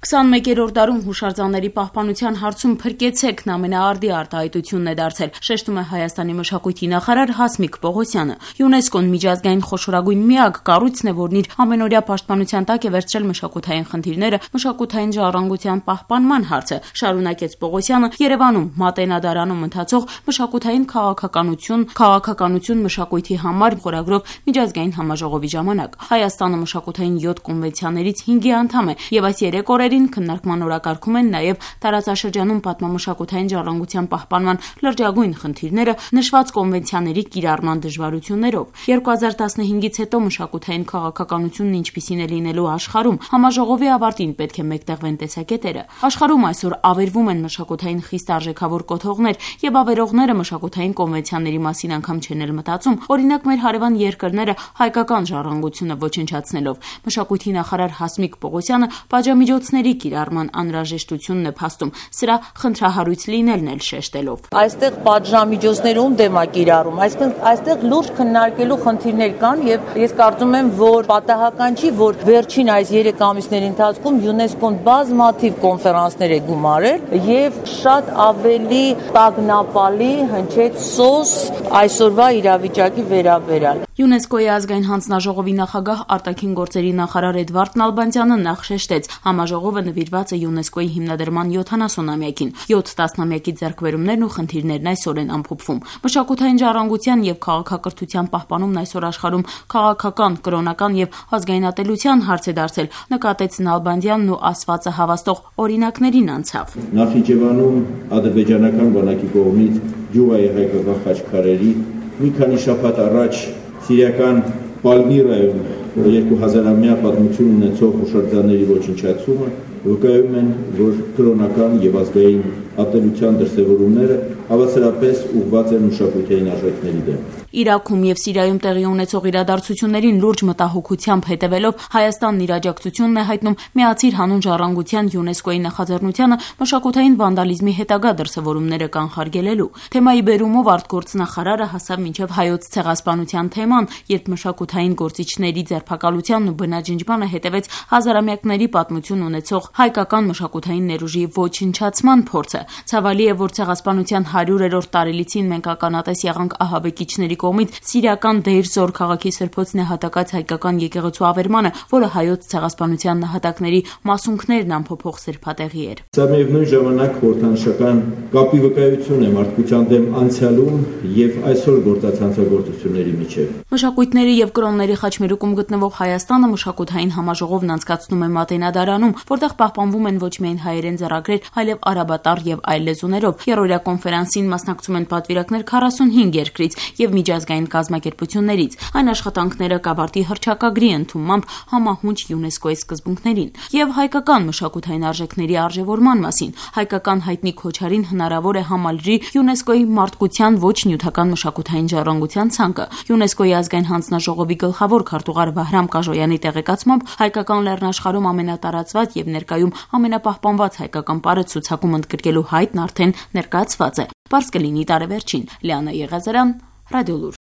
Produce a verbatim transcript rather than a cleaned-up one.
քսանմեկերորդ դարում հուշարձանների պահպանության հարցում փրկեցեքն ամենաարդի արտահայտությունն է դարձել, շեշտում է Հայաստանի մշակույթի նախարար Հասմիկ Պողոսյանը։ ՅՈՒՆԵՍԿՕ-ն միջազգային խոշորագույն միակ կառույցն է, որն իր ամենօրյա պաշտպանության տակ է վերցրել մշակութային խնդիրները, մշակութային ժառանգության պահպանման հարցը, շարունակեց Պողոսյանը Երևանում Մատենադարանում ընթացող մշակութային քաղաքականություն, քաղաքականություն մշակույթի համար խորագրով միջազգային համաժողովի ժամանակ։ Հայաստանը մշակութային յոթ կոնվենցիաներից հինգի անդամ է, եւ այս երեք օրերին քննարկման օրակարգում են նաև տարածաշրջանում պատմամշակութային ժառանգության պահպանման լրջագույն խնդիրները նշված կոնվենցիաների կիրառման դժվարություններով։ երկու հազար տասնհինգից հետո մշակութային քաղաքականությունն ինչպիսին է լինելու աշխարհում, համաժողովի ավարտին պետք է մեկտեղվեն տեսակետերը։ Աշխարհում այսօր ավերվում են մշակութային խիստ արժեքավոր կոթողներ, եւ ավերողները մշակութային կոնվենցիաների մասին անգամ չեն էլ մտածում, օրինակ մեր հարևան երկրները հայկական ժառանգությունը ոչնչացնելով։ Մշակույթի նախարար Հասմիկ Պողոսյանը պատժամիջոցների կիրառման անհրաժեշտությունն է փաստում, սրա խնդրահարույց լինելն էլ շեշտելով։ Այստեղ պատժամիջոցներում դեմ է կիրառում, այսինքն այստեղ լուրջ քննարկելու խնդիրներ կան, եւ ես կարծում եմ, որ պատահական չի, որ վերջին այս երեք ամիսների ընթացքում ՅՈՒՆԵՍԿՕ-ն բազմաթիվ կոնֆերանսներ է գումարել եւ շատ ավելի տագնապալի հնչեց սոս այսօրվա իրավիճակի վերաբերյալ։ ՅՈՒՆԵՍԿՕ-ի ազգային հանձնաժողովի նախագահ արտաքին գործերի նախարար Էդվարդ Նալբանդյանը նախ շեշտեց, համաժողովը նվիրված է ՅՈՒՆԵՍԿՕ-ի հիմնադրման յոթանասունամյակին։ յոթ տասնամյակի ձեռքբերումներն ու խնդիրներն այսօր են ամփոփվում։ Մշակութային ժառանգության եւ քաղաքակրթության պահպանումն այսօր աշխարհում քաղաքական, կրոնական եւ ազգայնատելության հարց է դարձել, նկատեց Նալբանդյանն ու ասվածը հավաստող օրինակներին անցավ։ Նախիջևանում ադրբեջանական բանակի կողմից Ջուվայի հայկական խաչքարերի մի քանի շաբաթ առաջ սիրիական Պալմիրայում երկու հազարամյա պատմություն ունեցող հուշարձանների ոչնչացումը վկայում են, որ կրոնական եւ ազգային ատելության դրսեւորումները հավասարապես ուղղված են մշակութային արժեքների դեմ։ Իրաքում եւ Սիրիայում տեղի ունեցող իրադարձություններին լուրջ մտահոգությամբ հետևելով Հայաստանն իր աջակցությունն է հայտնում Միացիր հանուն ժառանգության ՅՈՒՆԵՍԿՕ-ի նախաձեռնությանը մշակութային վանդալիզմի հետագա դրսեւորումները կանխարգելելու։ Թեմայի բերումով արտգործնախարարը հասավ մինչև հայոց ցեղասպանության թեման, երբ մշակութային գործիչների ձերբակալությանն ու բնաջնջմանը հետևեց հազարամյակների պատմություն ունեցող հայկական մշակութային ներուժի ոչնչացման փորձը։ Ցավալի է, որ ցեղասպանության հարյուրերորդ տարելիցին մենք ականատես եղանք ահաբեկիչների կողմից սիրիական Դեյր Զոր քաղաքի սրբոց նահատակած հայկական եկեղեցու ավերմանը, որը հայոց ցեղասպանության նահատակների մասունքներն ամփոփող սրբատեղի էր։ Սա միևնույն ժամանակ խորհրդանշական կապի վկայություն է մարդկության դեմ անցյալում եւ այսօր գործած հանցագործությունների միջեւ։ Մշակույթների եւ կրոնների խաչմերուկում գտնվող Հայաստանը մշակութային համաժողովն անցկացնում է Մատենադարանում, որտեղ պահպանվում են ոչ միայն հայերեն ձեռագրեր, այլև արաբատար եւ այլ լեզուներով։ Երրորդյա կոնֆերանսին մասնակցում են պատվիրակներ քառասունհինգ երկրից եւ միջազգային կազմակերպություններից։ Այն աշխատանքները կավարտի հռչակագրի ընդունմամբ համահունչ ՅՈՒՆԵՍԿՕ-ի սկզբունքներին եւ հայկական մշակութային արժեքների արժեվորման մասին։ Հայկական հայտնի Քոչարին հնարավոր է համալրի ՅՈՒՆԵՍԿՕ-ի մարդկության ոչ նյութական մշակութային ժառանգության ցանկը։ ՅՈՒՆԵՍԿՕ-ի ազգային հանձնաժողովի գլխավոր քարտուղար Վահրամ Կաժոյանի տեղեկացմամբ հայկական լեռնաշխարհում ամենատարածված եւ ներկայում ամենապահպանված հայկական պարը ցուցակում ընդգրկելու հայտն արդեն ներկայացված է։ Պարզ կլինի տարեվերջին։ Լիանա Եղազարյան, Ռադիոլուր։